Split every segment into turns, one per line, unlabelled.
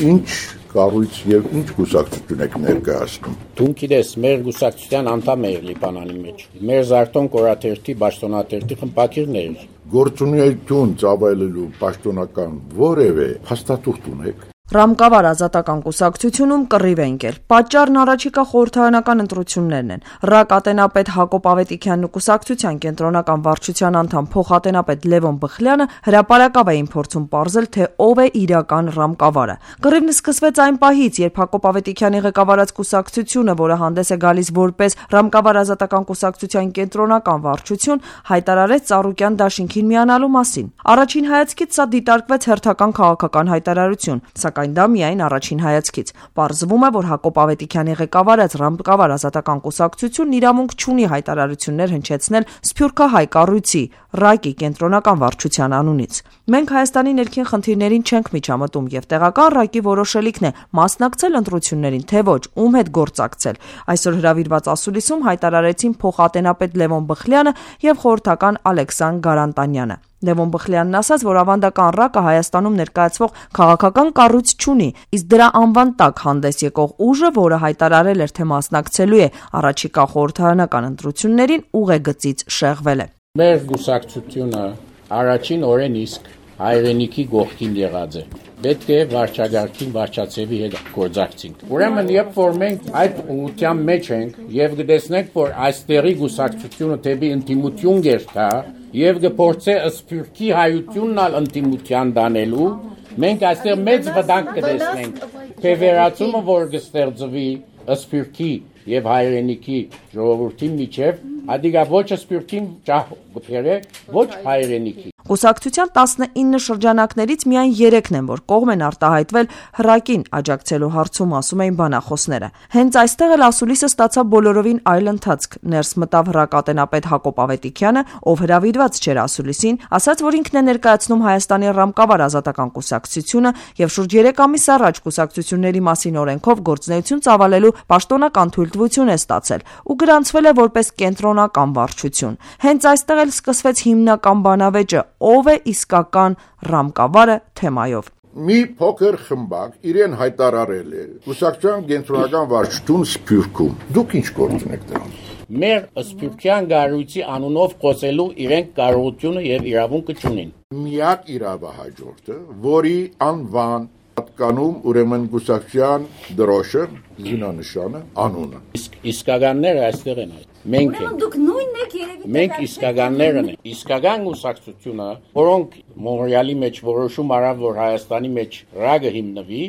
ինչ կառույց եւ ինչ կուսակցություն եք ներկայացնում։
Դու գիտես, մեր կուսակցության անդամ էր Լիբանանի մեջ։ Մեր Զարտոն կորաթերթի պաշտոնաթերթի խմբակիրներ։
Գործունեություն ծավալելու պաշտոնական որևէ փաստաթուղթ ունեք։
Ռամկավար ազատական կուսակցությունում կռիվ է ընկել։ Պատճառն առաջիկա խորհրդարանական ընտրություններն են։ ՌԱԿ ատենապետ Հակոբ Ավետիքյանն ու կուսակցության կենտրոնական վարչության անդամ փոխատենապետ Լևոն Բխլյանը հրապարակավ էին փորձում պարզել, թե ով է իրական ռամկավարը։ Կռիվն սկսվեց այն պահից, երբ Հակոբ Ավետիքյանի ղեկավարած կուսակցությունը, որը հանդես է գալիս որպես Ռամկավար ազատական կուսակցության կենտրոնական վարչություն, հայտարարեց Ծառուկյան դաշինքին միանալու մասին։ Առաջին հայացքից սա դիտարկվեց հերթական քաղաքական հայտարարություն, սակայն դա միայն առաջին հայացքից։ Պարզվում է, որ Հակոբ Ավետիքյանի ղեկավարած Ռամկավար ազատական կուսակցությունն իրավունք չունի հայտարարություններ հնչեցնել Սփյուռքահայ կառույցի ՌԱԿ-ի կենտրոնական վարչության անունից։ Մենք Հայաստանի ներքին խնդիրներին չենք միջամտում եւ տեղական ՌԱԿ-ի որոշելիքն է մասնակցել ընտրություններին, թե ոչ, ում հետ գործակցել։ Այսօր հրավիրված ասուլիսում հայտարարեցին փոխատենապետ Լևոն Բխլյանը եւ խորհրդական Ալեքսան Գարանտանյանը։ Լևոն Բխլյանն ասաց, որ ավանդական ՌԱԿ-ը Հայաստանում ներկայացվող քաղաքական կառույց չունի, իսկ դրա անվան տակ հանդես եկող ուժը, որը հայտարարել էր, թե մասնակցելու է առաջիկա խորհրդարանական ընտրություններին, ուղեգծից շեղվել է։
Մեր կուսակցությունը առաջին օրեն իսկ հայրենիքի գողքին եղած է։ Պետք է վարչագահին վարչացեվի հետ գործակցենք։ Ուրեմն, երբ որ մենք այդ ուղղության մեջ ենք եւ գտեսնենք, որ այստեղի գուսակցությունը թեպի ինտիմություն գերտա եւ գործե Սփյուռքի հայությունն ալ ինտիմության դանելու, մենք այստեղ մեծ վտանգ կտեսնենք, թե վերացումը, որ կստեղծվի Սփյուռքի եւ հայրենիքի ժողովրդի միջև, adiga ոչ Սփյուռքին ճահ գբերը, ոչ հայրենիքի։
Կուսակցության 19 շրջանակներից միայն 3-ն են, որ կողմ են արտահայտվել ՀՌԱԿ-ին աջակցելու հարցում, ասում էին բանախոսները։ Հենց այստեղ էլ ասուլիսը ստացավ բոլորովին այլ ընթացք։ Ներս մտավ ՌԱԿ ատենապետ Հակոբ Ավետիքյանը, ով հրավիրված չէր ասուլիսին, ասաց, որ ինքն է ներկայացնում Հայաստանի Ռամկավար ազատական կուսակցությունը եւ շուրջ 3 ամիս առաջ կուսակցությունների մասին օրենքով գործունեություն ծավալելու պաշտոնական թույլտվություն է ստացել ու գրանցվել է որպես կենտրոնական վարչություն։ Հենց այստեղ էլ սկսվեց հիմնական բանավեճը, ով է իսկական ռամկավարը թեմայով։
Մի փոքր խմբակ իրեն հայտարարել է կուսակցության կենտրոնական վարչություն Սփյուռքում։ Դուք ինչ գործունեք դրանից։
Մեր Սփյուռքյան գարույցի անունով խոսելու իրենք կարողությունը եւ իրավունքը չունին։
Միակ իրավահաջորդը, որի անվան պատկանում ուրեմն կուսակցության դրոշը, զինանշանը, անունը։
Իսկականները այստեղ են։ Մենք ենք։
Դուք նույնն եք երևի։
Մենք իսկականներն ենք։ Իսկական կուսակցությունը, որոնք Մոնրեալի մեջ որոշում արավ, որ Հայաստանի մեջ ՌԱԳ-ը հիմնվի,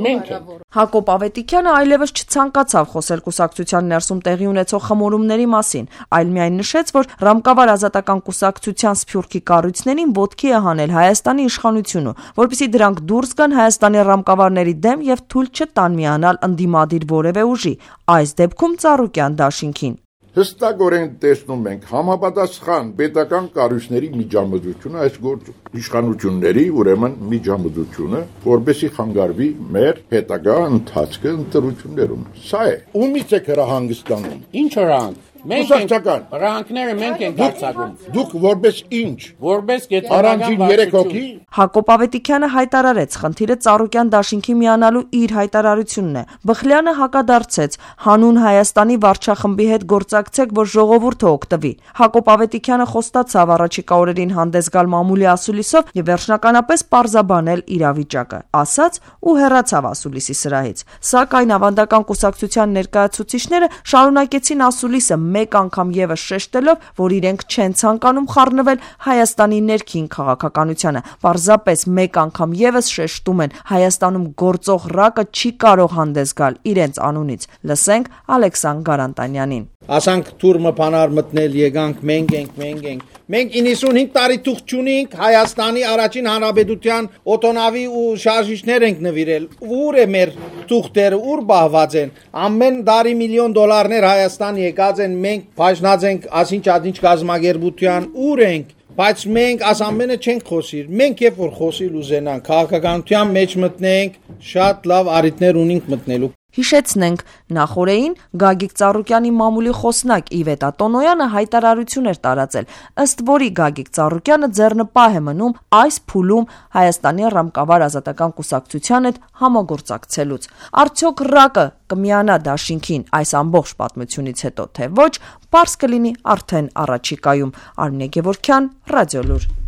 մենք ենք։
Հակոբ Ավետիքյանը այլևս չցանկացավ խոսել կուսակցության ներսում տեղի ունեցող խմորումների մասին, այլ միայն նշեց, որ Ռամկավար ազատական կուսակցության Սփյուռքի կառույցներին ոտքի է հանել Հայաստանի իշխանությունը, որպեսզի դրանք դուրս գան Հայաստանի ռամկավարների դեմ եւ թույլ չտան միանալ ընդդիմադիր որևէ ուժի, այս դեպքում Ծառուկյան դաշինքին։
Հստակորեն տեսնում ենք համապատասխան պետական կառույցների միջամտությունը այս գործում իշխանությունների ուրեմն միջամտությունը, որպեսզի խանգարվի մեր հետագա ընթացքը ընտրություններում։ Սա է։ Ումից եք հրահանգստանում։
Ինչ հրահանգ։ Մենք ենք հրահանգները մենք ենք արձակում։
Դուք որպես ինչ։
Որպես
առանձին 3 հոգի։
Հակոբ Ավետիքյանը հայտարարեց, խնդիրը Ծառուկյան դաշինքի միանալու իր հայտարարությունն է։ Բխլյանը հակադարձեց, հանուն Հայաստանի վարչախմբի հետ գործակցեք, որ ժողովուրդը օգտվի։ Հակոբ Ավետիքյանը խոստացավ առաջիկա օրերին հանդես գալ մամուլի ասուլիսով եւ վերջնականապես պարզաբանել իրավիճակը, ասաց ու հեռացավ ասուլիսի սրահից։ Սակայն ավանդական կուսակցության ներկայացուցիչները շարունակեցին ասուլիսը մեկ անգամ եւս շեշտելով, որ իրենք չեն ցանկանում խառնվել Հայաստանի ներքին քաղաքականությանը։ Պարզապես մեկ անգամ եւս շեշտում են, Հայաստանում գործող ՌԱԿ-ը չի կարող հանդես գալ իրենց անունից։ Լսենք Ալեքսան Գարանտանյանին։
Ասանք թուրմը փանար մտնել եկանք, մենք ենք։ Մենք 95 տարի թուղթ չունենք, Հայաստանի առաջին հանրապետության օտոնավի ու շարժիչներ ենք նվիրել։ Ուր է մեր թուղթերը, ուր բահված են։ Ամեն տարի $1 միլիոն Հայաստան եկած են, մենք բաժնած ենք ասինչ կազմակերպության, ուր ենք։ Բայց մենք աս ամենը չենք խոսիր։ Մենք երբ որ խոսիլ ուզենանք, քաղաքականության մեջ մտնենք, շատ լավ առիթներ ունենք մտնելու։
Հիշեցնենք, նախորդին Գագիկ Ծառուկյանի մամուլի խոսնակ Իվետա Տոնոյանը հայտարարություն էր տարածել, ըստ որի Գագիկ Ծառուկյանը ձեռնպահ է մնում այս փուլում Հայաստանի ռամկավար ազատական կուսակցության հետ համագործակցելուց։ Արդյոք ՌԱԿ-ը կմիանա դաշինքին այս ամբողջ պատմությունից հետո, թե ոչ, պարզ կլինի արդեն առաջիկայում։ Արմինե Գևորգյան, Ռադիոլուր։